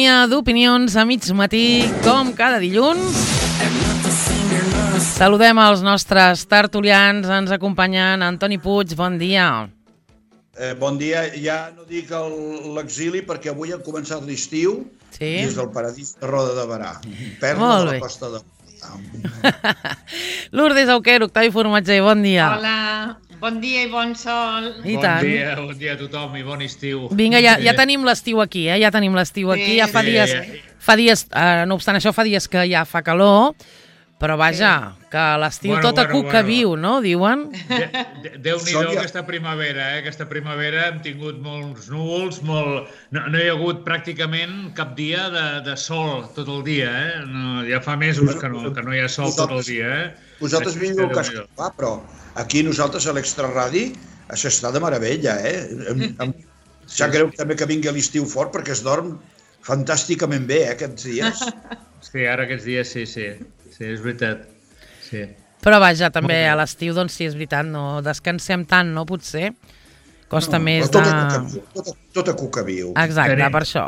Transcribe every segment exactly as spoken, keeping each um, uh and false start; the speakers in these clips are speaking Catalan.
sintonia d'opinions a mig matí, com cada dilluns. Saludem els nostres tertulians, ens acompanyen Antoni Puig, bon dia. Eh, bon dia, ja no dic l'exili perquè avui ha començat l'estiu sí. i és del paradís de Roda de Berà, perla de la costa de... Lourdes Auquer, Octavi Formatger, bon dia. Hola, bon dia i bon sol. I bon tant. dia, bon dia a tothom i bon estiu. Vinga, ja, ja tenim l'estiu aquí, eh? Ja tenim l'estiu aquí, ja fa Sí, dies, ja. fa dies, eh, no obstant això, fa dies que ja fa calor, però vaja, que l'estiu Bueno, tot a bueno, cuc que bueno. viu, no? Diuen. De, de, Déu-n'hi-do Sònia. aquesta primavera, eh? Aquesta primavera hem tingut molts núvols, molt... no, no hi ha hagut pràcticament cap dia de, de sol tot el dia, eh? No, ja fa mesos que no, que no hi ha sol tot el dia, eh? Vosaltres vingueu al cas que fa, però aquí nosaltres a l'Extraradi s'està de meravella, eh? Em, em, sap greu també que vingui a l'estiu fort perquè es dorm fantàsticament bé, eh, aquests dies. Sí, ara aquests dies sí, sí. Sí, és veritat. Sí. Però vaja, també a l'estiu, doncs sí, és veritat, no descansem tant, no? Potser costa No, més però de... tot a cuca viu, tot a, tot a cuca viu. Exacte, Tenim- per això.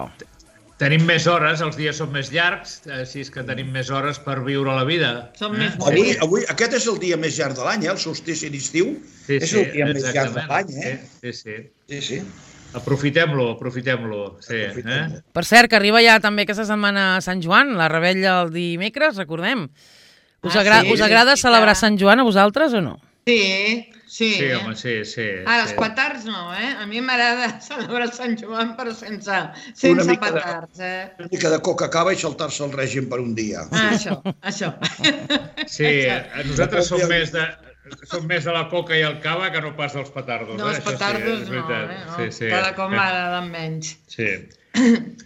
Tenim més hores, els dies són més llargs, així és que tenim més hores per viure la vida. Som eh? més Avui, bonics. avui, aquest és el dia més llarg de l'any, eh? El solstici d'estiu Sí, és sí, el dia més llarg de exactament. l'any, eh? Sí, sí. Sí, sí. Aprofitem-lo, aprofitem-lo. Sí, Aprofitem-lo. eh? Per cert, que arriba ja també aquesta setmana Sant Joan, la rebella el dimecres, recordem. Us, Ah, agra sí? us agrada Sí, celebrar clar. Sant Joan a vosaltres o no? Sí, sí. Sí, home, sí, sí. Ara, els sí. petards no, eh? A mi m'agrada celebrar Sant Joan, però sense, Una sense mica de- petards, eh? Una mica de coca cava i saltar-se el règim per un dia. Ah, això, això. Sí, Això. nosaltres som més de... Som més de la coca i el cava que no pas dels petardos. No, eh? els Això petardos sí, és no, veritat. eh? No, Sí, sí. cada cop m'agraden menys. Sí.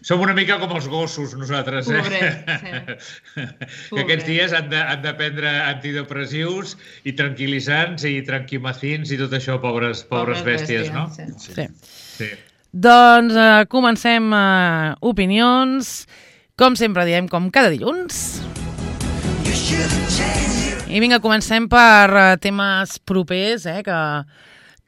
Som una mica com els gossos, nosaltres. Eh? Pobrets, sí. Que aquests dies han de, han de prendre antidepressius i tranquil·litzants i tranquimacins i tot això, pobres, pobres bèsties, no? Sí. Sí. Sí. Doncs eh, comencem eh, opinions, com sempre diem, com cada dilluns. I vinga, comencem per eh, temes propers, eh, que,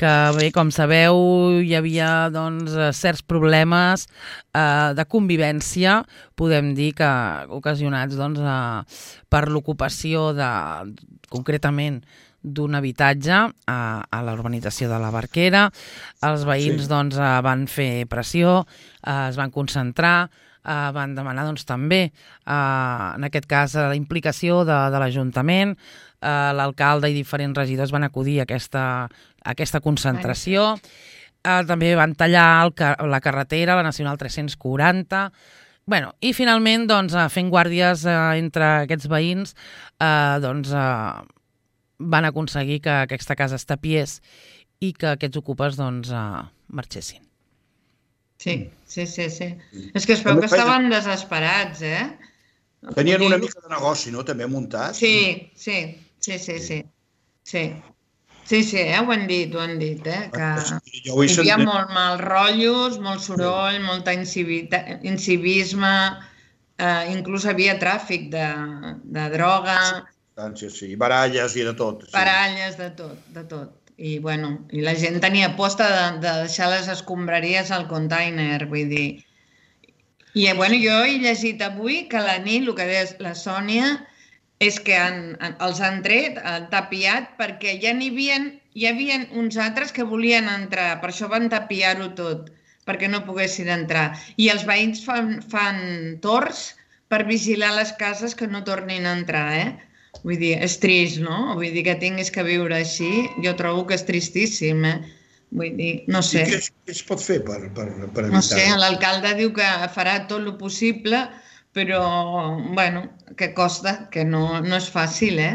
que bé, com sabeu, hi havia doncs, eh, certs problemes eh, de convivència, podem dir que ocasionats doncs, eh, per l'ocupació de, concretament, d'un habitatge a, a la urbanització de la Barquera. Els veïns Sí. doncs, eh, van fer pressió, eh, es van concentrar, eh, van demanar doncs, també, eh, en aquest cas, la implicació de, de l'Ajuntament. Eh, l'alcalde i diferents regidors van acudir a aquesta, a aquesta concentració. Eh, també van tallar el, ca- la carretera, la Nacional tres-cents quaranta. Bueno, i finalment, doncs, eh, fent guàrdies eh, entre aquests veïns, eh, doncs, eh, van aconseguir que aquesta casa es tapiés i que aquests ocupes doncs, eh, marxessin. Sí, sí, sí, sí. És que es veu que estaven desesperats, eh? Tenien una mica de negoci, no?, també muntat. Sí, sí, sí, sí, sí. Sí, sí, sí eh? Ho han dit, ho han dit, eh? Que Jo ho he hi havia sentit. molt mal rotllos, molt soroll, molta incivita- incivisme, eh, inclús havia tràfic de, de droga, Sí, sí, baralles i de tot. Sí. baralles, de tot, de tot. I, bueno, i la gent tenia posta de, de deixar les escombraries al container, vull dir. I, bueno, jo he llegit avui que la nit, el que deia la Sònia, és que han, han, els han tret, han tapiat, perquè ja n'hi havia, hi havia uns altres que volien entrar, per això van tapiar-ho tot, perquè no poguessin entrar. I els veïns fan, fan torns per vigilar les cases que no tornin a entrar, eh? Vull dir, és trist, no? Vull dir, que tinguis que viure així, jo trobo que és tristíssim, eh? Vull dir, no sé. I què es, què es pot fer per, per, per evitar? No sé, l'alcalde diu que farà tot el possible, però, bueno, que costa, que no, no és fàcil, eh?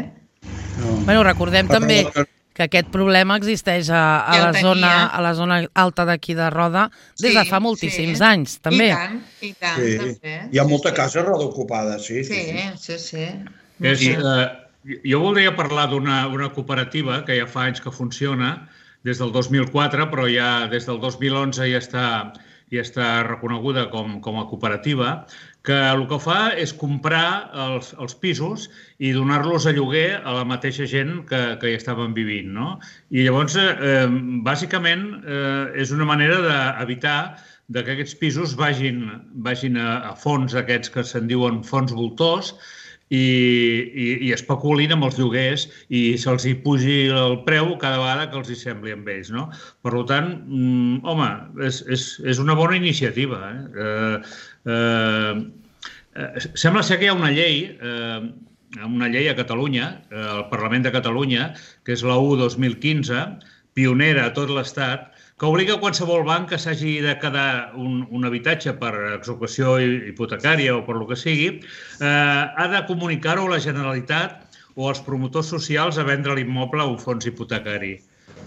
No. Bueno, recordem Per també part de- que aquest problema existeix a, a, Ja la, el zona, tenia. a la zona alta d'aquí de Roda des de Sí, fa moltíssims sí. anys, també. I tant, i tant, Sí. també. Hi ha molta Sí, casa roda ocupada, sí. Sí, sí. sí, sí. És, Sí. eh, jo voldria parlar d'una una cooperativa que ja fa anys que funciona, des del dos mil quatre, però ja des del dos mil onze ja està, ja està reconeguda com, com a cooperativa, que el que fa és comprar els, els pisos i donar-los a lloguer a la mateixa gent que, que hi estaven vivint, no? I llavors, eh, bàsicament, eh, és una manera d'evitar de que aquests pisos vagin, vagin a, a fons aquests que se'n diuen fons voltors i, i, i especulin amb els lloguers i se'ls hi pugi el preu cada vegada que els hi sembli amb ells, no? Per tant, mm, home, és, és, és una bona iniciativa. Eh? Eh, eh, sembla ser que hi ha una llei, eh, una llei a Catalunya, eh, al Parlament de Catalunya, que és la u dos mil quinze, pionera a tot l'Estat, que obliga qualsevol banc que s'hagi de quedar un, un habitatge per execució hipotecària o per lo que sigui, eh, ha de comunicar-ho a la Generalitat o als promotors socials a vendre l'immoble a un fons hipotecari.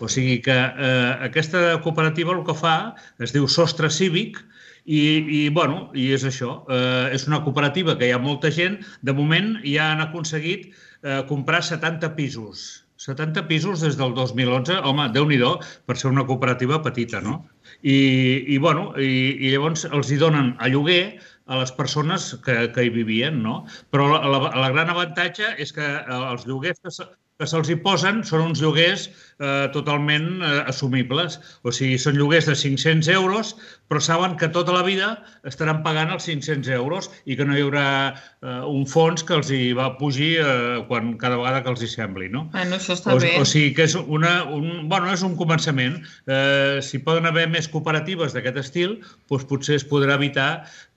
O sigui que eh, aquesta cooperativa el que fa es diu Sostre Cívic i, i, bueno, i és això. Eh, és una cooperativa que hi ha molta gent. De moment ja han aconseguit eh, comprar setanta pisos. setanta pisos des del dos mil onze, home, Déu-n'hi-do, per ser una cooperativa petita, no? I, i, bueno, i, i llavors els hi donen a lloguer a les persones que, que hi vivien, no? Però la, la, la gran avantatge és que els lloguers que, se, que se'ls hi posen són uns lloguers eh, totalment eh, assumibles. O sigui, són lloguers de cinc-cents euros, però saben que tota la vida estaran pagant els cinc-cents euros i que no hi haurà eh, un fons que els hi va pujar eh, quan, cada vegada que els hi sembli, no? Bueno, això està o, bé. O sigui que és, una, un, bueno, és un començament. Eh, si poden haver més cooperatives d'aquest estil, doncs potser es podrà evitar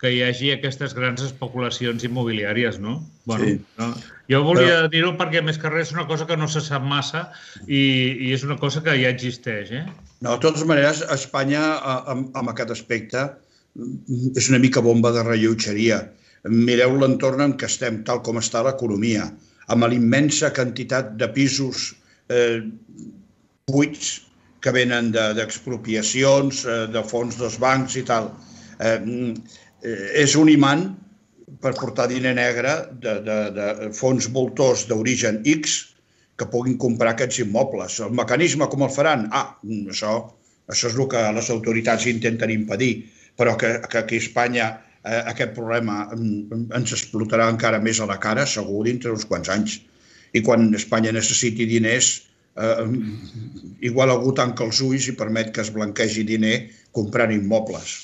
que hi hagi aquestes grans especulacions immobiliàries, no? Bueno, sí. No? Jo volia Però... dir-ho perquè, més que res, és una cosa que no se sap massa i, i és una cosa que ja existeix, eh? No, de totes maneres, Espanya, amb, amb aquest aspecte, és una mica bomba de rellotgeria. Mireu l'entorn en què estem, tal com està l'economia, amb l'immensa quantitat de pisos eh, buits que venen d'expropiacions, de, de fons dels bancs i tal. Eh, és un imant per portar diner negre de, de, de fons voltors d'origen X que puguin comprar aquests immobles. El mecanisme com el faran? Ah, això, això és el que les autoritats intenten impedir, però que, que aquí a Espanya eh, aquest problema ens explotarà encara més a la cara, segur, dintre uns quants anys. I quan Espanya necessiti diners, eh, igual algú tanca els ulls i permet que es blanquegi diner comprant immobles.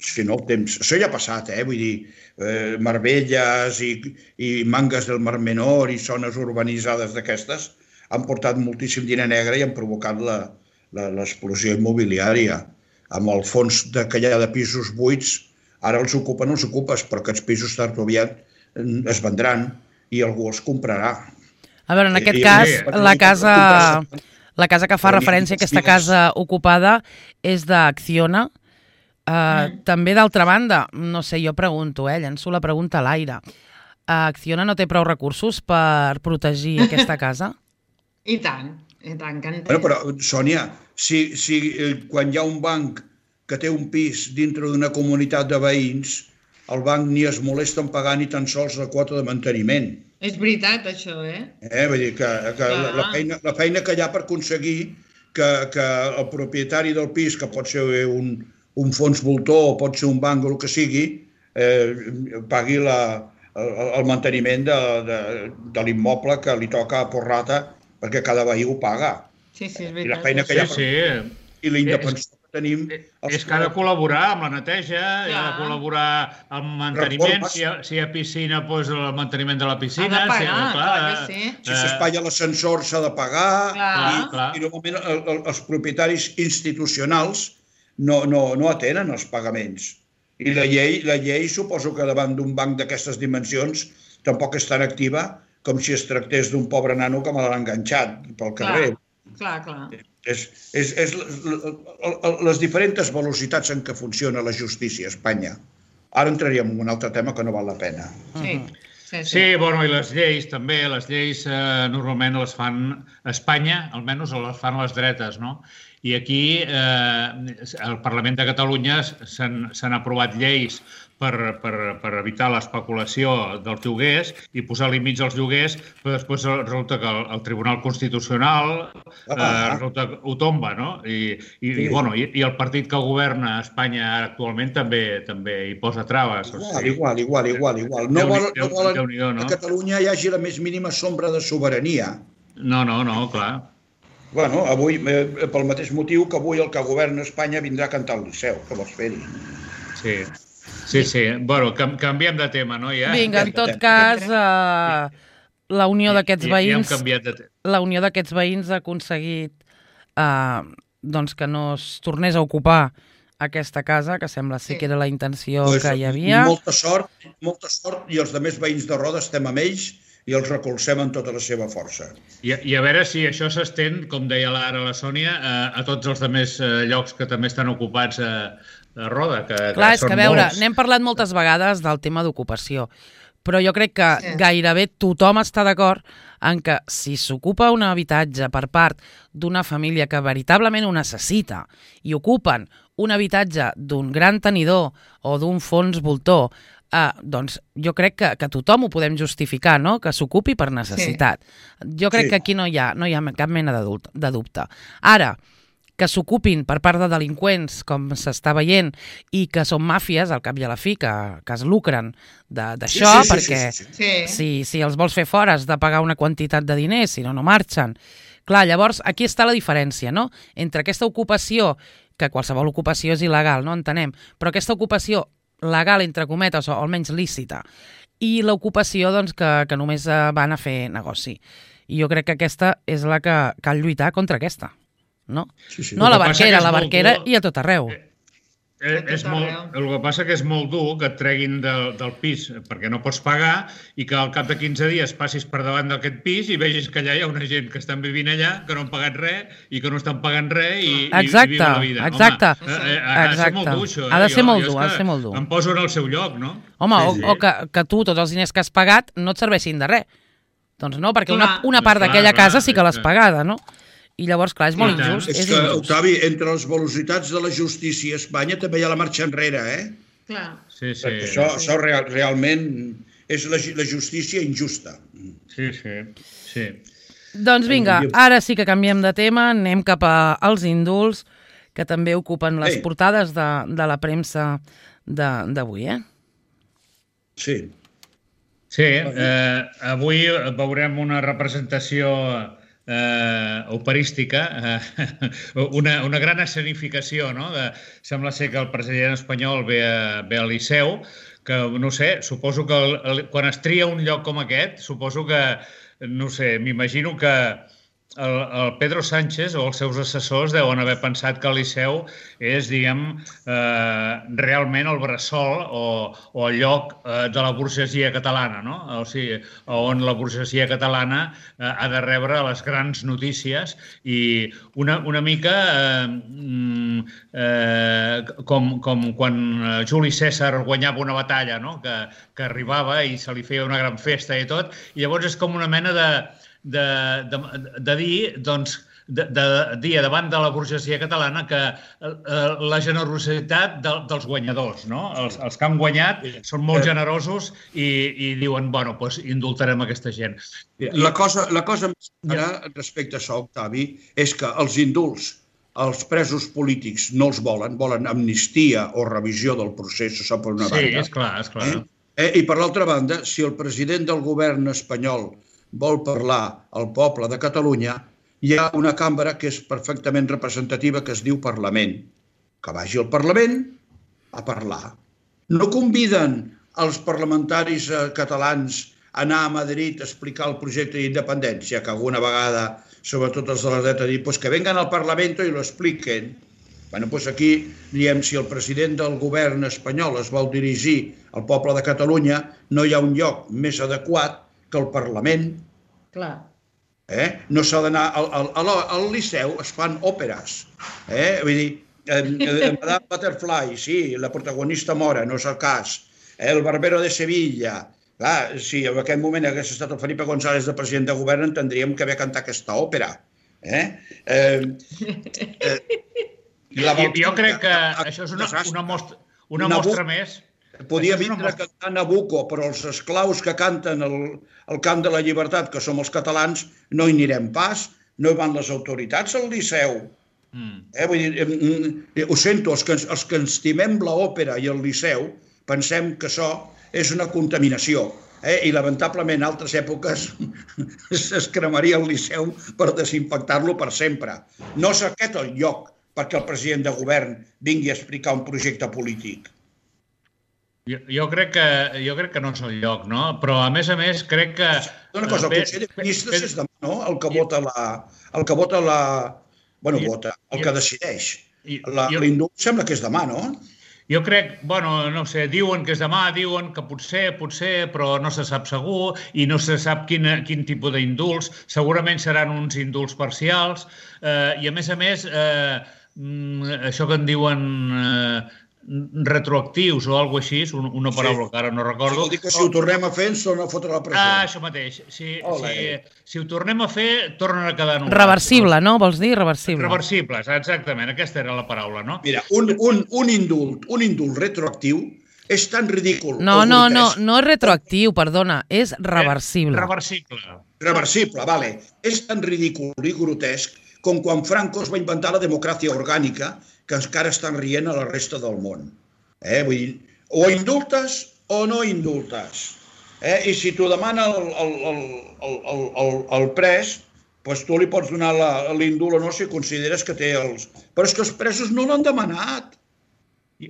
Si no, el temps... Això ja ha passat, eh? Vull dir, eh, Marbelles i, i Mangas del Mar Menor i zones urbanitzades d'aquestes han portat moltíssim diner negre i han provocat l'explosió immobiliària. Amb el fons de, que hi ha de pisos buits, ara els ocupen els ocupes, però aquests pisos tard o aviat es vendran i algú els comprarà. A veure, en aquest I, cas, i, la casa, la casa que fa referència a aquesta casa ocupada és d'Acciona. Uh, mm. També, d'altra banda, no sé, jo pregunto, eh, llenço la pregunta a l'aire. Uh, Acciona no té prou recursos per protegir aquesta casa? I tant, i tant que en té. Bueno, però, Sònia, si, si quan hi ha un banc que té un pis dintre d'una comunitat de veïns, el banc ni es molesta en pagar ni tan sols la quota de manteniment. És veritat, això, eh? Eh, vull dir que, que la, la, feina, la feina que hi ha per aconseguir que, que el propietari del pis, que pot ser un un fons voltor o pot ser un banc o el que sigui, eh, pagui la, el, el manteniment de, de, de l'immoble que li toca a porrata perquè cada veí ho paga. Sí, sí, és veritat. I la feina que hi ha sí, sí. I la independència que tenim... És que ha de col·laborar amb la neteja, ja. ha de col·laborar amb manteniment, si hi, ha, si hi ha piscina, doncs el manteniment de la piscina. Ha de pagar, si, clar, clar que sí. Si s'espatlla l'ascensor s'ha de pagar, clar. i, clar. i normalment el, el, els propietaris institucionals No, no, no atenen els pagaments. I la llei, la llei suposo que davant d'un banc d'aquestes dimensions tampoc és tan activa com si es tractés d'un pobre nano que me l'ha enganxat pel carrer. Clar, clar. És, és, és les diferents velocitats en què funciona la justícia a Espanya. Ara entraríem en un altre tema que no val la pena. Sí. Sí, sí. sí, bueno, i les lleis també, les lleis eh, normalment les fan a Espanya, almenys les fan les dretes, no? I aquí, eh, al Parlament de Catalunya s'han aprovat lleis per, per, per evitar l'especulació dels lloguers i posar límits als lloguers, però després resulta que el, el Tribunal Constitucional eh, resulta que ho tomba, no? I, i, sí. i, bueno, i, i el partit que governa a Espanya actualment també també hi posa traves. Igual, o sigui, igual, igual, igual, igual. No volen no vol que a Catalunya hi hagi la més mínima sombra de sobirania. No, no, no, clar. Bueno, avui, eh, pel mateix motiu que avui el que governa Espanya vindrà a cantar al Liceu, que vols fer-hi? Sí, sí, sí. Bueno, canviem de tema, no? Ja? Vinga, en tot cas, eh, la unió d'aquests veïns... Ja hem canviat de tema. La unió d'aquests veïns ha aconseguit eh, doncs que no es tornés a ocupar aquesta casa, que sembla ser que era la intenció pues, que hi havia. Molta sort, molta sort, i els altres veïns de Roda estem amb ells i els recolzem en tota la seva força. I, i a veure si això s'estén, com deia ara la Sònia, a, a tots els altres llocs que també estan ocupats a, a Roda, que, Clar, que és que a veure, n'hem parlat moltes vegades del tema d'ocupació, però jo crec que sí. gairebé tothom està d'acord en que si s'ocupa un habitatge per part d'una família que veritablement ho necessita i ocupen un habitatge d'un gran tenidor o d'un fons voltor, eh, doncs jo crec que, que tothom ho podem justificar, no? Que s'ocupi per necessitat. Sí. Jo crec sí. que aquí no hi ha, no hi ha cap mena de dubte. Ara, que s'ocupin per part de delinqüents, com s'està veient, i que són màfies, al cap i a la fi, que, que es lucren d'això, sí, sí, perquè sí, sí, sí. Si, si els vols fer fora has de pagar una quantitat de diners, si no, no marxen. Clar, llavors, aquí està la diferència, no?, entre aquesta ocupació, que qualsevol ocupació és il·legal, no entenem, però aquesta ocupació legal, entre cometes, o almenys lícita, i l'ocupació doncs, que, que només van a fer negoci. I jo crec que aquesta és la que cal lluitar contra aquesta. No, sí, sí. no a la barquera, a la barquera i a tot arreu. Eh, eh, és molt, el que passa que és molt dur que et treguin del, del pis perquè no pots pagar i que al cap de quinze dies passis per davant d'aquest pis i vegis que allà hi ha una gent que estan vivint allà, que no han pagat res i que no estan pagant res i, exacte, i viuen la vida. Exacte, Home, eh, ha de ser molt dur, això. Ha de ser molt dur, ha de ser molt dur. Em poso en el seu lloc, no? Home, sí, sí. o, o que, que tu, tots els diners que has pagat, no et serveixin de res. Doncs no, perquè una, una part d'aquella casa sí que l'has pagada, no? I llavors, clar, és molt injust. És, és que, injust. Octavi, entre les velocitats de la justícia a Espanya també hi ha la marxa enrere, eh? Clar. Sí, sí. Perquè això, això real, realment és la, la justícia injusta. Sí, sí, sí. Doncs vinga, ara sí que canviem de tema, anem cap als indults, que també ocupen les Ei. portades de, de la premsa d'avui, eh? Sí. Sí, eh, avui veurem una representació Eh, operística, eh, una, una gran escenificació, no? De, sembla ser que el president espanyol ve, a, ve al Liceu, que no sé, suposo que el, el, quan es tria un lloc com aquest, suposo que, no sé, m'imagino que el, el Pedro Sánchez o els seus assessors deuen haver pensat que el Liceu és, diguem, eh, realment el bressol o, o el lloc eh, de la burgesia catalana, no? O sigui, on la burgesia catalana eh, ha de rebre les grans notícies i una, una mica eh, eh, com, com quan Juli Cèsar guanyava una batalla, no? Que, que arribava i se li feia una gran festa i tot, i llavors és com una mena de De, de, de dir, doncs, de, de dir davant de la burgesia catalana que eh, la generositat de, dels guanyadors, no? Els, els que han guanyat són molt generosos i, i diuen, bueno, doncs indultarem aquesta gent. La cosa, la cosa més clara respecte a això, Octavi, és que els indults, els presos polítics no els volen, volen amnistia o revisió del procés, això per una sí, banda. Sí, és clar, és clar. Eh? Eh, I per l'altra banda, si el president del govern espanyol vol parlar al poble de Catalunya, hi ha una cambra que és perfectament representativa que es diu Parlament. Que vagi al Parlament a parlar. No conviden els parlamentaris catalans a anar a Madrid a explicar el projecte d'independència, que alguna vegada, sobretot els de la dreta, diuen pues que vengan al Parlamento i lo expliquen. Bueno, doncs aquí diem, si el president del govern espanyol es vol dirigir al poble de Catalunya, no hi ha un lloc més adequat que el Parlament. Clar. Eh? No s'ha d'anar... Al, al, al, al Liceu es fan òperes. Eh? Vull dir, eh, Madame Butterfly, sí, la protagonista mora, no és el cas. Eh? El Barbero de Sevilla. Clar, si en aquest moment hagués estat el Felipe González de president de govern, entendríem que havia cantat aquesta òpera. Eh? Eh, eh, la jo, jo crec que això és una, una mostra, una mostra més... Podia vindre a cantar Nabucco, però els esclaus que canten el, el cant de la llibertat, que som els catalans, no hi anirem pas, no hi van les autoritats al Liceu. Mm. Eh, vull dir, ho sento, els que, els que estimem l'òpera i el Liceu, pensem que això és una contaminació. eh? I lamentablement en altres èpoques es cremaria el Liceu per desinfectar-lo per sempre. No és aquest el lloc perquè el president de govern vingui a explicar un projecte polític. Jo, jo, crec que, jo crec que no és el lloc, no? Però, a més a més, crec que... Una cosa, el Consell de Ministres és demà, no? El que vota la... El que vota la... Bueno, vota, el que decideix. L'indult sembla que és demà, no? Jo crec, bueno, no sé, diuen que és demà, diuen que potser, potser, però no se sap segur i no se sap quin, quin tipus d'indults. Segurament seran uns indults parcials eh, i, a més a més, eh, això que en diuen... Eh, retroactius o alguna cosa així, una paraula que ara no recordo. Vol dir que si ho tornem a fer ens torna a fotre la presó. Ah, això mateix. Si, si, si ho tornem a fer, tornen a quedar en un... Reversible, no? Vols dir reversible? Reversibles, exactament. Aquesta era la paraula, no? Mira, un, un, un indult, un indult retroactiu és tan ridícul... No, no, no, no és retroactiu, perdona, és reversible. Reversible. Reversible, vale. És tan ridícul i grotesc com quan Franco es va inventar la democràcia orgànica que encara estan rient a la resta del món. Eh? Vull dir, o indultes o no indultes. Eh? I si t'ho demana el, el, el, el, el, el pres, doncs tu li pots donar l'indult o no si consideres que té els... Però és que els presos no l'han demanat.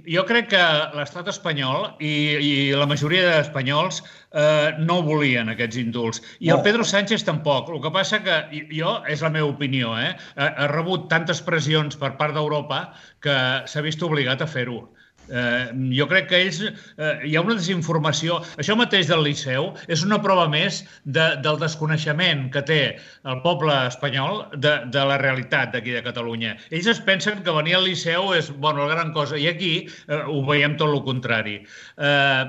Jo crec que l'estat espanyol i, i la majoria d'espanyols eh, no volien aquests indults. I el Pedro Sánchez tampoc. El que passa que jo, és la meva opinió, eh, ha rebut tantes pressions per part d'Europa que s'ha vist obligat a fer-ho. Eh, jo crec que ells... Eh, hi ha una desinformació. Això mateix del Liceu és una prova més de, del desconeixement que té el poble espanyol de, de la realitat d'aquí de Catalunya. Ells es pensen que venir al Liceu és, bueno, la gran cosa, i aquí eh, ho veiem tot el contrari. Eh,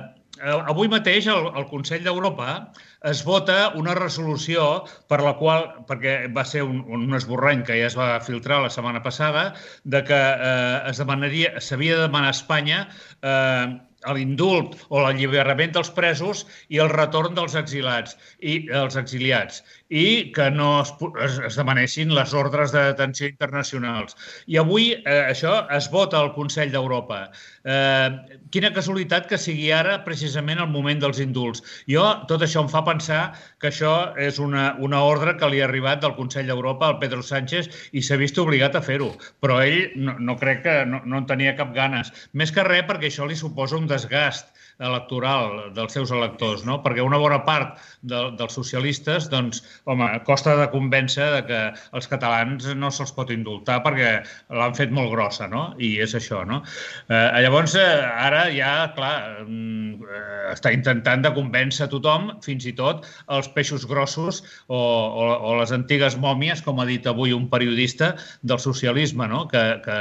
avui mateix el, el Consell d'Europa es vota una resolució per la qual, perquè va ser un, un esborrany que ja es va filtrar la setmana passada, de que eh, es demanaria, s'havia de demanar a Espanya eh, l'indult o l'alliberament dels presos i el retorn dels exilats i els exiliats i que no es, es, es demanessin les ordres de detenció internacionals. I avui eh, això es vota al Consell d'Europa. Eh, quina casualitat que sigui ara precisament el moment dels indults. Jo, tot això em fa pensar que això és una, una ordre que li ha arribat del Consell d'Europa al Pedro Sánchez i s'ha vist obligat a fer-ho. Però ell no, no crec que no, no en tenia cap ganes. Més que res perquè això li suposa un desgast electoral dels seus electors, no? Perquè una bona part de, dels socialistes, doncs, home, costa de convèncer de que els catalans no se'ls pot indultar perquè l'han fet molt grossa, no? I és això, no? Eh, llavors, eh, ara ja, clar, eh, està intentant de convèncer tothom, fins i tot els peixos grossos o, o, o les antigues mòmies, com ha dit avui un periodista del socialisme, no? Que, que,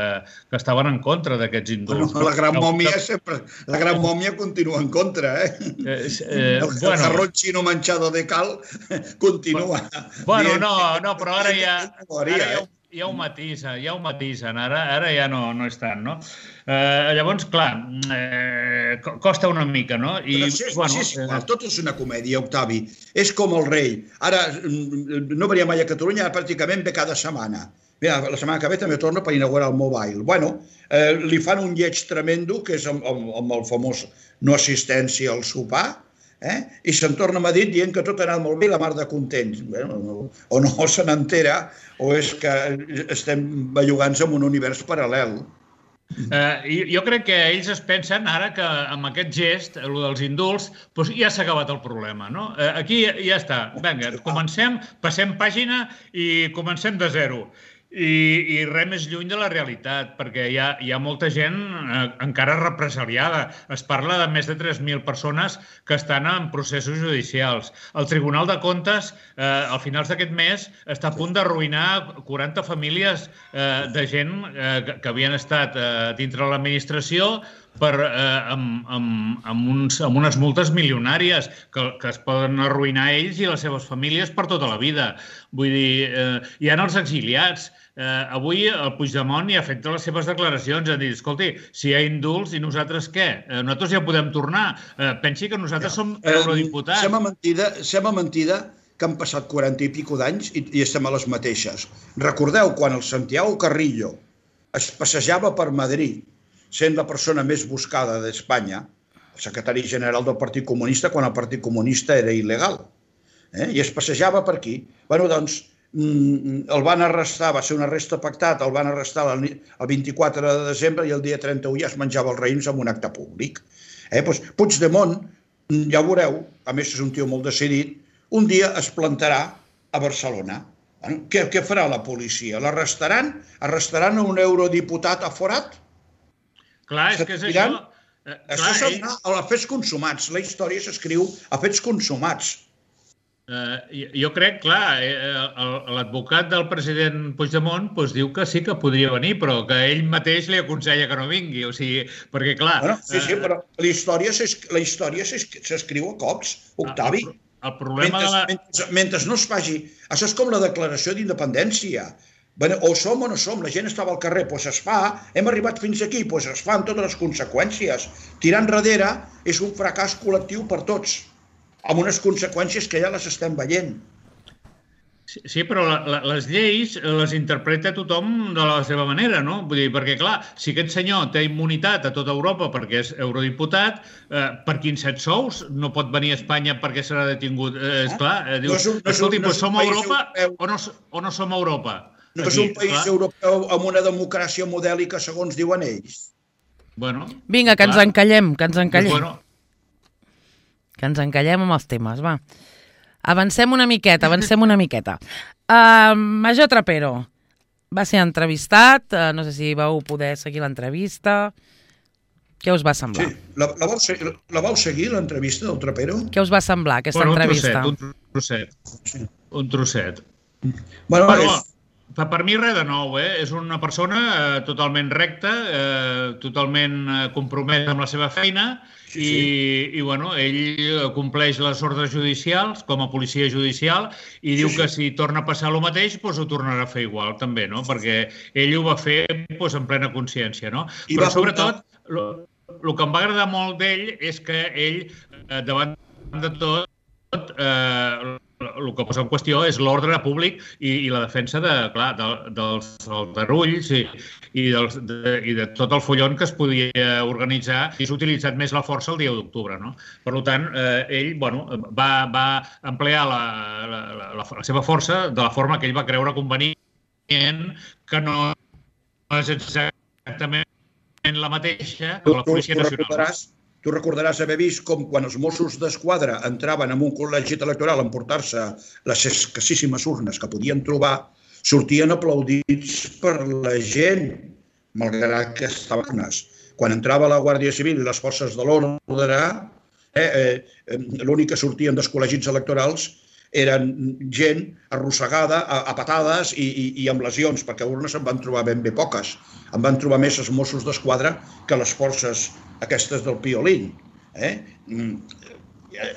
que estaven en contra d'aquests indults. Bueno, la gran mòmia sempre... La gran mòmia continua en contra, eh? eh, eh el bueno, jarrón chino manchado de cal continua. Bueno, no, no, però ara ja, ara ja, ja ho matisen, ja ho matisen, ara, ara ja no, no és tant, no? Eh, llavors, clar, eh, costa una mica, no? I, però sí, bueno, sí, és igual, tot és una comèdia, Octavi. És com el rei. Ara no venia mai a Catalunya, pràcticament ve cada setmana. Mira, la setmana que ve també torna per inaugurar el Mobile. Bueno, eh, li fan un lleig tremendo, que és amb, amb, amb el famós no assistència al sopar, eh? I se'n torna a Madrid dient que tot ha anat molt bé i la mar de contents. Bueno, no, o no se n'entera, o és que estem bellugant-nos en un univers paral·lel. Eh, jo crec que ells es pensen ara que amb aquest gest, el dels indults, doncs ja s'ha acabat el problema, no? Eh, aquí ja està. Vinga, comencem, passem pàgina i comencem de zero. I, i res més lluny de la realitat, perquè hi ha, hi ha molta gent eh, encara represaliada. Es parla de més de tres mil persones que estan en processos judicials. El Tribunal de Comptes, eh, al finals d'aquest mes, està a punt d'arruïnar quaranta famílies eh, de gent eh, que, que havien estat eh, dintre l'administració per, eh, amb, amb, amb, uns, amb unes multes milionàries que, que es poden arruïnar ells i les seves famílies per tota la vida. Vull dir, eh, hi ha els exiliats. Eh, avui el Puigdemont ja ha fet les seves declaracions, ha dit, escolti, si hi ha indults i nosaltres què? Eh, nosaltres ja podem tornar. Eh, pensi que nosaltres ja. som eurodiputats. Eh, sembla mentida, sembla mentida que han passat quaranta i pico d'anys i, i estem a les mateixes. Recordeu quan el Santiago Carrillo es passejava per Madrid sent la persona més buscada d'Espanya, secretari general del Partit Comunista quan el Partit Comunista era il·legal. Eh? I es passejava per aquí. Bueno, doncs, el van arrestar, va ser un arrest pactat, el van arrestar el vint-i-quatre de desembre i el dia trenta-u ja es menjava els raïms en un acte públic. Eh? Doncs Puigdemont, ja ho veureu, a més és un tio molt decidit, un dia es plantarà a Barcelona. Bueno, què, què farà la policia? L'arrestaran? Arrestaran a un eurodiputat aforat? Clar, és que és això... Eh, això serà a fets consumats. La història s'escriu a fets consumats. Uh, jo crec, clar, eh, l'advocat del president Puigdemont doncs, diu que sí que podria venir, però que ell mateix li aconsella que no vingui. O sigui, perquè, clar... Bueno, sí, sí, però la història s'escriu a cops, Octavi. El, el problema mentre, de la... mentre, mentre no es faci... Això és com la declaració d'independència. Bueno, o som o no som, la gent estava al carrer, doncs es fa, hem arribat fins aquí, doncs es fa amb totes les conseqüències. Tirar enrere és un fracàs col·lectiu per tots, amb unes conseqüències que ja les estem veient. Sí, sí, però la, la, les lleis les interpreta tothom de la seva manera, no? Vull dir, perquè, clar, si aquest senyor té immunitat a tota Europa perquè és eurodiputat, eh, per quins set sous no pot venir a Espanya perquè serà detingut? Eh, esclar, eh, dius, no és un, no escolti, no és som a Europa o no, o no som a Europa? No és un país clar. europeu amb una democràcia modèlica, segons diuen ells. Bueno, vinga, que clar. ens encallem, que ens encallem. Pues bueno. Que ens encallem amb els temes, va. Avancem una miqueta, avancem una miqueta. Uh, Major Trapero va ser entrevistat, uh, no sé si vau poder seguir l'entrevista. Què us va semblar? Sí, la, la, vau, seguir, la vau seguir, l'entrevista del Trapero? Què us va semblar, aquesta bueno, entrevista? Un trosset, un trosset. Sí. Un trosset. Bueno, bueno és... Per mi res de nou, eh? És una persona eh, totalment recta, eh, totalment eh, compromesa amb la seva feina sí, i, sí. i bueno, ell compleix les ordres judicials com a policia judicial i sí, diu sí. que si torna a passar el mateix doncs ho tornarà a fer igual també, no? Perquè ell ho va fer doncs, en plena consciència, no? I Però sobretot, el que em va agradar molt d'ell és que ell, eh, davant de tot, eh, el que posa en qüestió és l'ordre públic i, i la defensa de, clar, de, dels aldarulls i, i, dels, de, i de tot el follon que es podia organitzar i s'ha utilitzat més la força el dia d'octubre, no? Per tant, eh, ell bueno, va, va emplear la, la, la, la, la seva força de la forma que ell va creure convenient, que no és exactament la mateixa que la Policia Nacional. Tu recordaràs haver vist com quan els Mossos d'Esquadra entraven en un col·legi electoral a emportar-se les escassíssimes urnes que podien trobar, sortien aplaudits per la gent, malgrat que estaven urnes. Quan entrava la Guàrdia Civil i les forces de l'ordre, eh, eh, l'únic que sortien dels col·legis electorals eren gent arrossegada a, a patades i, i, i amb lesions, perquè urnes en van trobar ben bé poques. En van trobar més els Mossos d'Esquadra que les forces aquestes del Piolín. Eh?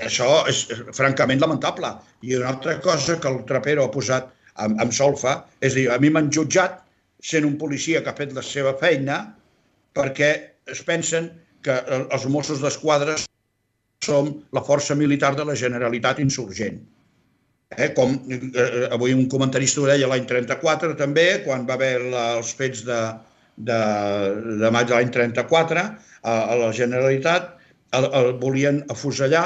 Això és francament lamentable. I una altra cosa que el Trapero ha posat amb, amb solfa és dir, a mi m'han jutjat sent un policia que ha fet la seva feina perquè es pensen que els Mossos d'Esquadra som la força militar de la Generalitat insurgent. Eh, com eh, avui un comentarista ho deia l'any trenta-quatre també, quan va haver la, els fets de, de, de maig de l'any trenta-quatre, a, a la Generalitat el, el volien afusellar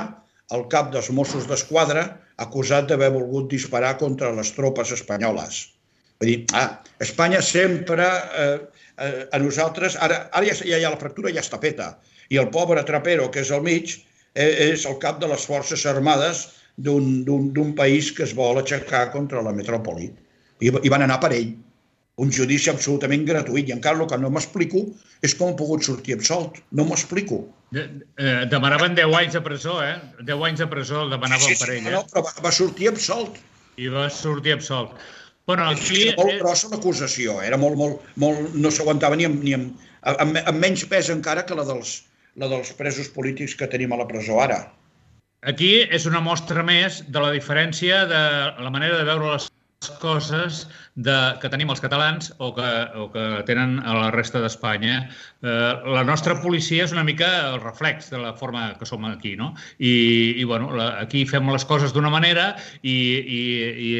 el cap dels Mossos d'Esquadra acusat d'haver volgut disparar contra les tropes espanyoles. Vull dir, ah, Espanya sempre, eh, eh, a nosaltres, ara, ara ja, ja, ja la fractura ja està feta, i el pobre Trapero, que és al mig, eh, és el cap de les Forces Armades d'un país que es vol aixecar contra la metròpoli. I, i van anar per ell. Un judici absolutament gratuït. I encara el que no m'explico és com ha pogut sortir absolt. No m'ho explico. De, eh, demanaven deu anys de presó, eh? deu anys de presó el demanaven sí, sí, per ell. Eh? No, però va, va sortir absolt. I va sortir absolt. Bueno, aquí... Era molt grossa l'acusació. Era molt, molt, molt... No s'aguantava ni, amb, ni amb, amb, amb menys pes encara que la dels, la dels presos polítics que tenim a la presó ara. Aquí és una mostra més de la diferència de la manera de veure les coses de, que tenim els catalans o que, o que tenen a la resta d'Espanya. Eh, la nostra policia és una mica el reflex de la forma que som aquí, no? I, i bueno, la, aquí fem les coses d'una manera i, i, i,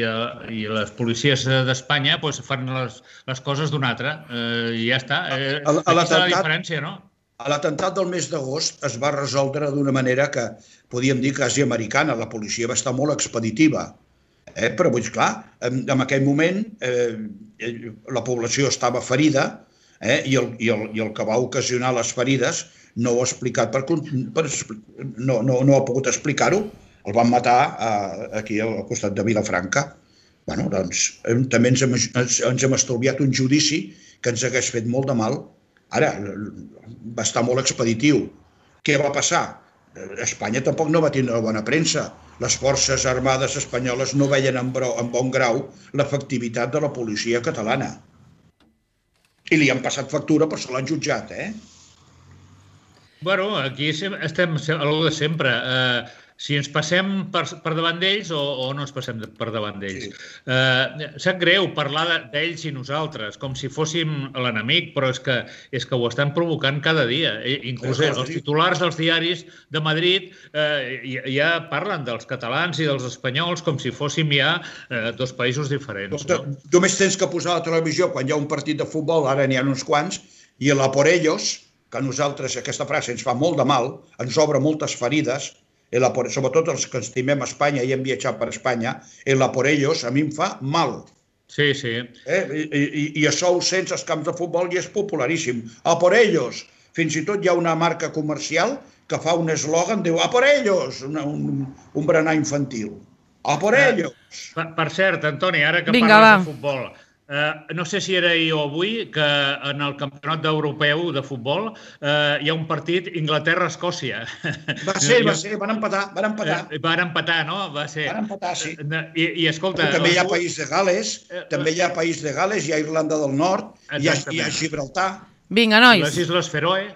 i les policies d'Espanya pues, fan les, les coses d'una altra. Eh, I ja està. Eh, aquí està la diferència, no? l'atemptat del mes d'agost es va resoldre d'una manera que podíem dir quasi americana. La policia va estar molt expeditiva. Eh? Però, vull dir, clar, en, en aquell moment eh, la població estava ferida eh? I, el, i, el, i el que va ocasionar les ferides no ho ha explicat, per, per, no, no, no ha pogut explicar-ho. El van matar eh, aquí al costat de Vilafranca. Bueno, doncs, també ens hem, ens, ens hem estalviat un judici que ens hagués fet molt de mal. Ara, va estar molt expeditiu. Què va passar? Espanya tampoc no va tenir bona premsa. Les forces armades espanyoles no veien en, bro, en bon grau l'efectivitat de la policia catalana. I li han passat factura, però se l'han jutjat, eh? Bueno, aquí estem a lo de sempre. Eh, si ens passem per, per davant d'ells o, o no ens passem per davant d'ells. Sí. Eh, sap greu parlar d'ells i nosaltres, com si fóssim l'enemic, però és que, és que ho estan provocant cada dia. Inclús els titulars dels diaris de Madrid eh, ja parlen dels catalans i dels espanyols com si fóssim ja eh, dos països diferents. No? Només tens que posar a la televisió quan hi ha un partit de futbol, ara n'hi ha uns quants, i la por ellos, que a nosaltres aquesta frase ens fa molt de mal, ens obre moltes ferides, la por, sobretot els que estimem Espanya i hem viatjat per Espanya, la por ellos a mi em fa mal. Sí, sí. Eh? I, i, I això ho sents als camps de futbol i és popularíssim. A por ellos. Fins i tot hi ha una marca comercial que fa un eslògan, diu a por ellos, una, un, un berenar infantil. A por ellos. Per, per cert, Antoni, ara que Vinga, parles va. de futbol, Uh, no sé si era ahir o avui que en el campionat europeu de futbol uh, hi ha un partit Inglaterra-Escòcia. Va ser, va ser, van empatar, van empatar. Uh, van empatar, no? Va ser. Van empatar, sí. Uh, I, i escolta... També hi ha País de Gales, uh, també hi ha País de Gales, hi ha Irlanda del Nord, hi ha, hi ha Gibraltar. Vinga, nois. Les Isles Feroe.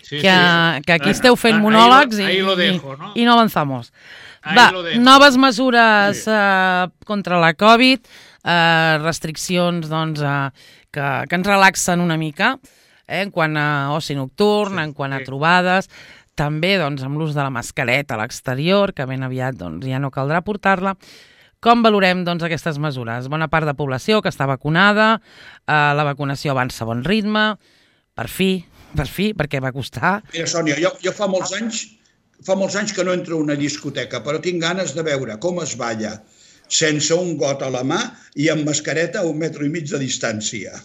Sí, que, sí. que aquí esteu fent monòlegs ahí lo, ahí lo i, dejo, ¿no? i no avanzamos. Va, noves mesures sí. uh, contra la Covid, uh, restriccions doncs, uh, que, que ens relaxen una mica, eh, en quant a oci nocturn, sí, en quant a sí. trobades, també doncs, amb l'ús de la mascareta a l'exterior, que ben aviat doncs, ja no caldrà portar-la. Com valorem doncs, aquestes mesures? Bona part de població que està vacunada, uh, la vacunació avança a bon ritme, per fi, per fi, perquè va costar. Mira, Sònia, jo, jo fa molts anys fa molts anys que no entro a una discoteca, però tinc ganes de veure com es balla sense un got a la mà i amb mascareta a un metro i mig de distància.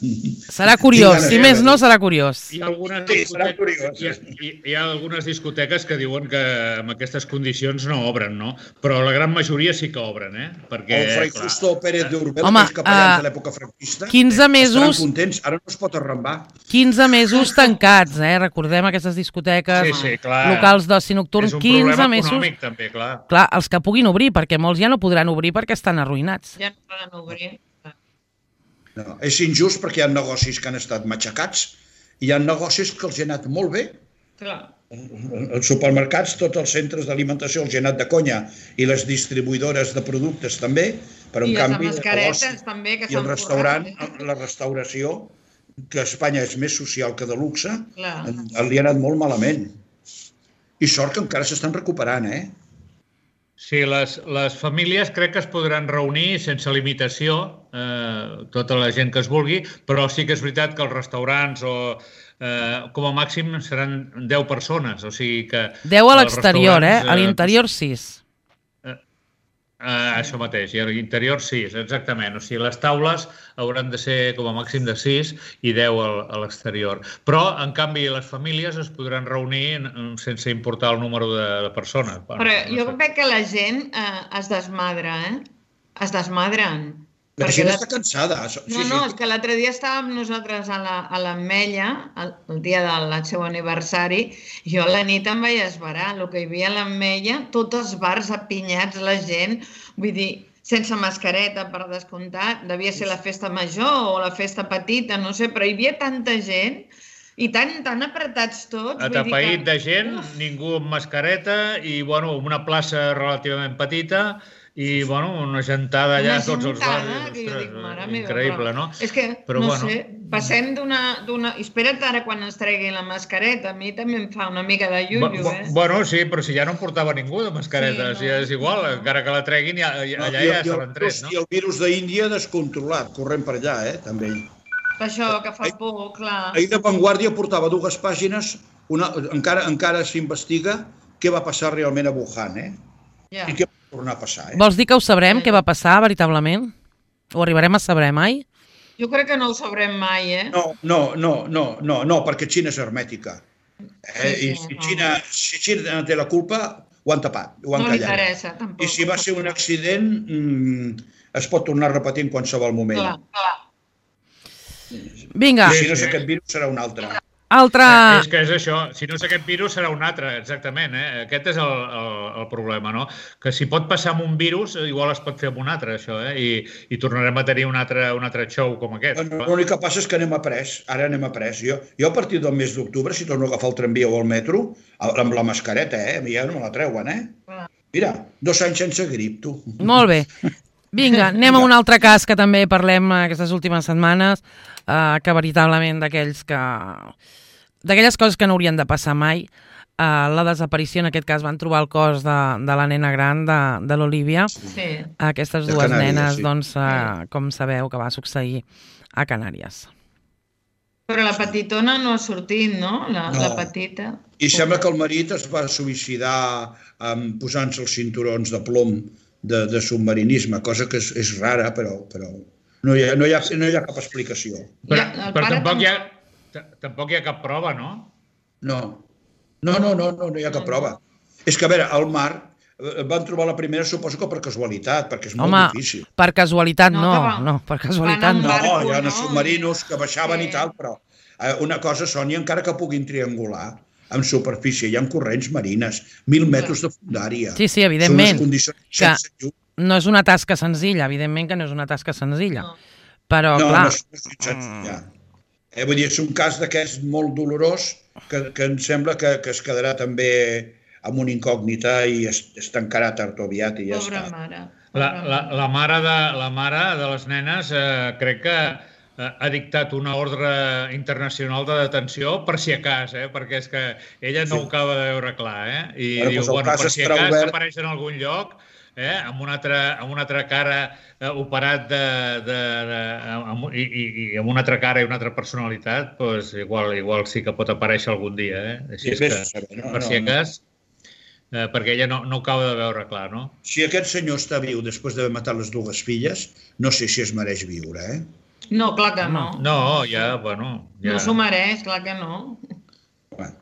Serà curiós, si més no serà curiós. Hi ha algunes, sí, serà curiós. Hi ha, hi, hi ha algunes discoteques que diuen que amb aquestes condicions no obren, no? Però la gran majoria sí que obren, eh? Perquè, el Fray clar, Justo Pérez d'Urbel, home, que és capellans uh, de l'època franquista, quinze mesos, estaran contents, ara no es pot arrambar. quinze mesos tancats, eh? Recordem aquestes discoteques, sí, sí, clar. locals d'oci nocturn, quinze mesos. Econòmic, també, clar. Clar, els que puguin obrir, perquè molts ja no podran obrir perquè estan arruïnats. Ja no poden obrir. No, és injust perquè hi ha negocis que han estat matxacats i hi ha negocis que els ha anat molt bé. Clar. Els supermercats, tots els centres d'alimentació els ha anat de conya i les distribuïdores de productes també, però en I canvi les mascaretes també, que i el restaurant, forrat, la restauració, que a Espanya és més social que de luxe, clar. li ha anat molt malament. I sort que encara s'estan recuperant, eh? Sí, les, les famílies crec que es podran reunir sense limitació, eh, tota la gent que es vulgui, però sí que és veritat que els restaurants o eh, com a màxim seran deu persones, o sigui que... deu a l'exterior, eh? A l'interior sis. Uh, això mateix, i a l'interior sis, exactament. O sigui, les taules hauran de ser com a màxim de sis i deu a l'exterior. Però, en canvi, les famílies es podran reunir sense importar el número de, de persones. Però bueno, jo no sé. Crec que la gent eh, es desmadra, eh? Es desmadren. La gent està cansada. Sí, no, no, és que l'altre dia estàvem nosaltres a l'Ametlla, el, el dia del seu aniversari, i jo a la nit em vaig esverar. El que hi havia a l'Ametlla, tots els bars apinyats, la gent, vull dir, sense mascareta, per descomptat, devia ser la festa major o la festa petita, no sé, però hi havia tanta gent i tan, tan apretats tots. Atapeït que... de gent, uf, ningú amb mascareta i, bueno, una plaça relativament petita i, bueno, una gentada allà a tots els barris. Que jo dic, mare meva, increïble, però, no? És que, però, no bueno, sé, passem d'una... Espera't ara quan ens treguin la mascareta. A mi també em fa una mica de llullo, eh? Bueno, sí, però si ja no en portava ningú de mascareta, sí, no, si és igual, no. Encara que la treguin, ja, allà no, ja se l'han tret, no? I el virus d'Índia descontrolat, corrent per allà, eh, també. Això que fa por, clar. Ahir de Vanguardia portava dues pàgines una, encara, encara s'investiga què va passar realment a Wuhan, eh? Ja. I què va tornar a passar, eh? Vols dir que ho sabrem, què va passar, veritablement? Ho arribarem a saber mai? Jo crec que no ho sabrem mai, eh? No, no, no, no, no, no, perquè Xina és hermètica. Eh? Sí, sí, I si no. Xina, si Xina té la culpa, ho han tapat, ho han No li callat. interessa, tampoc. I si va ser un accident, mmm, es pot tornar a repetir en qualsevol moment. Clar, clar. Vinga, I si no és aquest virus, serà un altre. altra... Eh, és que és això, si no és aquest virus serà un altre, exactament, eh? Aquest és el, el, el problema, no? Que si pot passar amb un virus, igual es pot fer amb un altre, això, eh? I, i tornarem a tenir un altre, un altre show com aquest. Bueno, l'únic que passa és que anem a pres, ara anem a pres. Jo, jo a partir del mes d'octubre, si torno a agafar el tramvia o el metro, amb la mascareta, eh? A mi ja no me la treuen, eh? Mira, dos anys sense grip, tu. Molt bé. Vinga, anem a un altre cas que també parlem aquestes últimes setmanes, eh, que veritablement d'aquells que... d'aquelles coses que no haurien de passar mai. Eh, la desaparició, en aquest cas, van trobar el cos de, de la nena gran, de, de l'Olivia. Sí. Aquestes De dues Canàries, nenes, sí. doncs, eh, com sabeu, que va succeir a Canàries. Però la petitona no ha sortit, no? La, No. la petita. I sembla que el marit es va suïcidar um, posant-se els cinturons de plom de, de submarinisme, cosa que és, és rara, però, però no, hi ha, no, hi ha, no hi ha cap explicació. Però, Ja, el però pare tampoc, tam- hi ha, t- tampoc hi ha cap prova, no? No, no, no, no, no, no hi ha cap prova. És que, a veure, al mar eh, van trobar la primera, suposo que per casualitat, perquè és molt Home, difícil. per casualitat No, no, que va- no, per casualitat van amb no. No, barco, hi ha no? submarinos que baixaven Sí. i tal, però eh, una cosa, Sònia, encara que puguin triangular en superfície, hi ha corrents marines, mil metres de fundària. Sí, sí, evidentment. Són unes condicions Que sense llum. no és una tasca senzilla, evidentment que no és una tasca senzilla. No. Però, No, clar, no és, no és senzilla. Eh, vull dir, és un cas d'aquests molt dolorós que, que em sembla que, que es quedarà també amb una incògnita i es, es tancarà tard o aviat i ja Pobra està. mare. La, pobra la, mare. la, mare de, la mare de les nenes eh, crec que eh, ha dictat una ordre internacional de detenció per si a cas, eh? Perquè és que ella no Sí. ho acaba de veure clar, eh? I Bueno, diu, doncs el bueno, cas per si a estarà cas obert. apareix en algun lloc, eh? amb, una altra, amb una altra cara eh, operat de, de, de, amb, i, i, i amb una altra cara i una altra personalitat, doncs igual, igual sí que pot aparèixer algun dia, eh? Així és Sí, que, vés a saber, no, per no, si a no. cas, eh, perquè ella no, no ho acaba de veure clar, no? Si aquest senyor està viu després d'haver matat les dues filles, no sé si es mereix viure, eh? No, clar que no. No, ja, bueno... Ja... No s'ho mereix, clar que no. Bueno,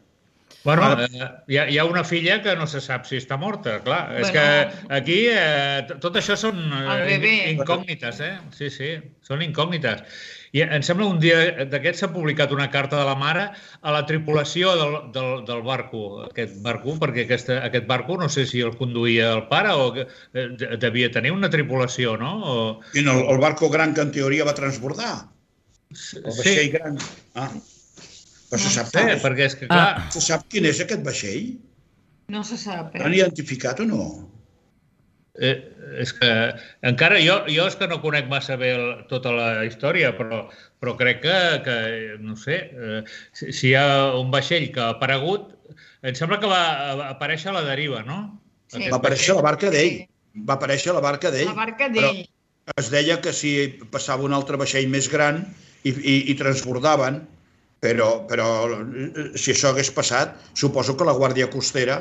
Bueno, eh, hi, ha, hi ha una filla que no se sap si està morta, clar. És Bueno. que aquí eh, t- tot això són El eh, bebè. in- incògnites, eh? Sí, sí, són incògnites. I em sembla un dia d'aquests s'ha publicat una carta de la mare a la tripulació del, del, del barco, aquest barco, perquè aquesta, aquest barco no sé si el conduïa el pare o que, eh, de- devia tenir una tripulació, no? O... i el, el barco gran que en teoria va transbordar. El vaixell Sí, gran. Ah. Però se sap, sí, quin és? perquè és que, clar, se sap quin és aquest vaixell? No se sap. L'han Eh? identificat o no? Eh, és que encara jo, jo és que no conec massa bé el, tota la història, però, però crec que, que no sé, eh, si, si hi ha un vaixell que ha aparegut, em sembla que va aparèixer a la deriva, no? Sí. Aquest Va aparèixer vaixell. la barca d'ell. Va aparèixer la barca d'ell. La barca Però d'ell. es deia que si passava un altre vaixell més gran i, i, i transbordaven, però, però eh, si això hagués passat, suposo que la Guàrdia Costera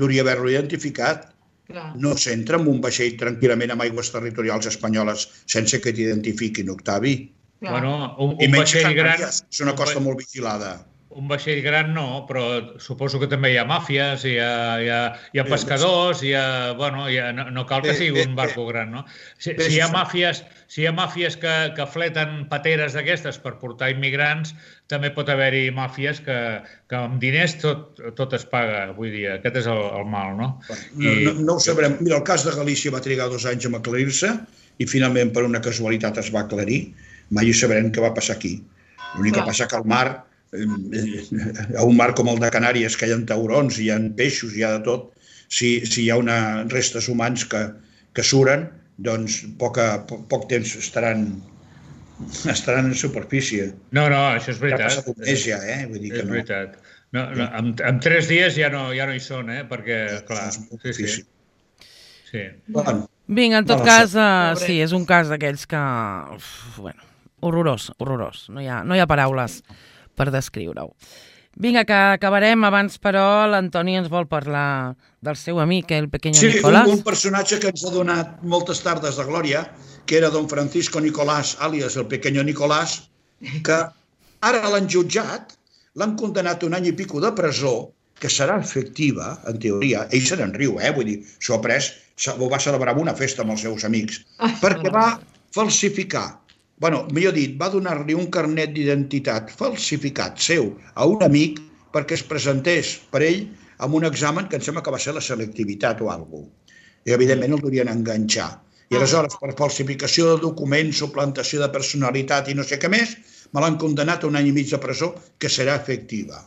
hauria haver-lo identificat. Clar. No s'entra en un vaixell tranquil·lament amb aigües territorials espanyoles sense que t'identifiquin, Octavi. Clar. Bueno, un, I un menys vaixell gran... Canàries, és una un costa va- molt vigilada. Un vaixell gran no, però suposo que també hi ha màfies, hi ha, hi ha, hi ha pescadors, hi ha, bueno, hi ha, no, no cal que Bé, sigui bé, un barco gran, no? Si, Bé, si hi ha sí, sí. màfies, si hi ha màfies que, que fleten pateres d'aquestes per portar immigrants, també pot haver-hi màfies que, que amb diners tot, tot es paga avui dia. Aquest és el, el mal, no? No, no, no ho sabrem. Mira, el cas de Galícia va trigar dos anys a aclarir-se i finalment per una casualitat es va aclarir. Mai ho sabrem què va passar aquí. L'únic que Clar. passa que al mar, eh, a un mar com el de Canàries, que hi ha taurons, hi ha peixos, hi ha de tot, si, si hi ha una, restes humans que, que suren, doncs poc, a, poc, poc temps estaran, estaran en superfície. No, no, això és Ja ha veritat. passat un mes ja, eh? Vull dir que És no. veritat. No, no, en, en tres dies ja no, ja no hi són, eh? Perquè, clar, És molt sí, sí. difícil. sí. Bueno, vinga, en tot No, cas, uh, Pobre. sí, és un cas d'aquells que... Uf, bueno, horrorós, horrorós. No hi ha, no hi ha paraules per descriure-ho. Vinga, que acabarem abans, però l'Antoni ens vol parlar del seu amic, el pequeño sí, Nicolás. Sí, un, un personatge que ens ha donat moltes tardes de glòria, que era don Francisco Nicolás, àlies el pequeño Nicolás, que ara l'han jutjat, l'han condenat un any i pico de presó, que serà efectiva, en teoria. Ell se n'en riu, eh? Vull dir, s'ho ha pres, ho va celebrar amb una festa amb els seus amics, perquè va falsificar, bueno, millor dit, va donar-li un carnet d'identitat falsificat seu a un amic perquè es presentés per ell amb un examen que em sembla que va ser la selectivitat o alguna cosa. I, evidentment, el volien enganxar. I aleshores, per falsificació de documents, suplantació de personalitat i no sé què més, me l'han condenat a un any i mig de presó que serà efectiva.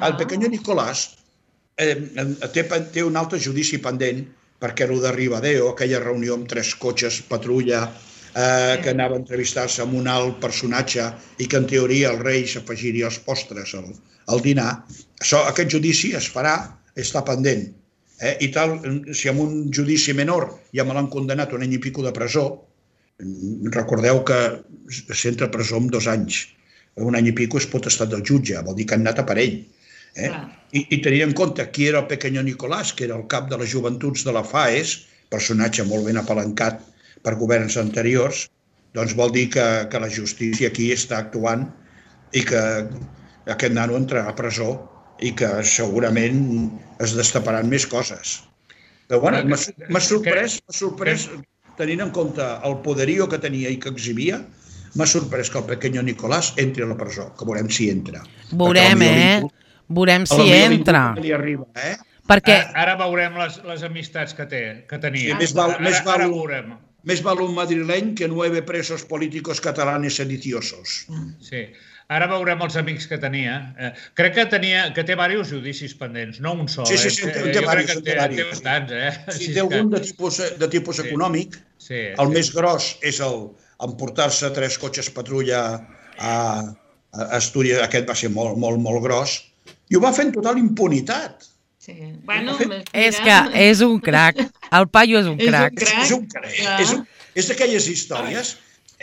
El pequeño Nicolás eh, té, té un altre judici pendent perquè el de Ribadeo, aquella reunió amb tres cotxes patrulla eh, que anava a entrevistar-se amb un alt personatge i que en teoria el rei s'afegiria els postres al, al dinar, això, aquest judici es farà, està pendent. Eh? I tal, si amb un judici menor ja me l'han condenat un any i pico de presó, recordeu que s'entra a presó amb dos anys. Un any i pico és potestat del jutge, vol dir que han anat a per ell. Eh? I, I tenint en compte qui era el pequeño Nicolás, que era el cap de les joventuts de la FAES, personatge molt ben apalancat per governs anteriors, doncs vol dir que, que la justícia aquí està actuant i que aquest nano entrarà a presó i que segurament es destaparan més coses. Però bueno, m'ha sorprès, m'ha sorprès, tenint en compte el poderío que tenia i que exhibia, m'ha sorprès que el pequeño Nicolás entri a la presó, que veurem si entra. Veurem, eh? Veurem si entra. Arriba, eh? Perquè... Ara, ara veurem les, les amistats que té, que tenia. Sí, més val, ara, més val, ara veurem. Més val un madrileny que nueve presos políticos catalanes sediciosos. Sí. Ara veurem els amics que tenia. Eh, crec que tenia que té diversos judicis pendents, no un sol. Sí, sí, sí, eh? té, té jo diversos. crec que té, té, té bastants, eh? Sí, té algun de tipus, de tipus sí. econòmic. Sí, el sí. més gros és el emportar-se tres cotxes patrulla a, a Astúries. Aquest va ser molt, molt, molt gros. I ho va fer en total impunitat. Sí. Bueno, és que és un crac. El paio és un crac. És un crac. És, un, és d'aquelles històries.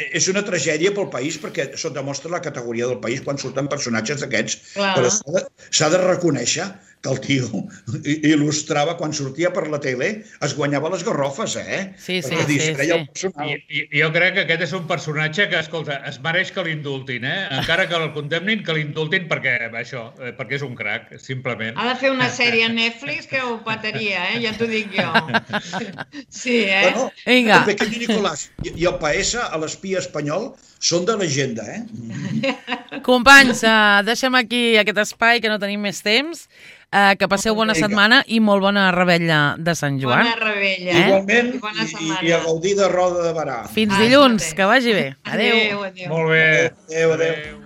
És una tragèdia pel país perquè això demostra la categoria del país quan surten personatges d'aquests. Però s'ha de, de reconèixer que el tio il·lustrava quan sortia per la tele, es guanyava les garrofes, eh? Sí, sí, perquè sí. sí. I, i, jo crec que aquest és un personatge que, escolta, es mereix que l'indultin, eh? Encara que el condemnin, que l'indultin perquè, això, perquè és un crac, simplement. Ha de fer una sèrie a Netflix que ho petaria, eh? Ja t'ho dic jo. Sí, eh? Bueno, el pequeño Nicolás i el P S a l'espia espanyol són de llegenda, eh? Companys, uh, deixem aquí aquest espai, que no tenim més temps. Uh, que passeu bona setmana i molt bona rebella de Sant Joan. Bona rebella. Eh? Igualment, i, i, i a gaudir de Roda de Barà. Fins dilluns, que vagi bé. Adéu. Adéu, adéu. Molt bé. Adéu, adéu.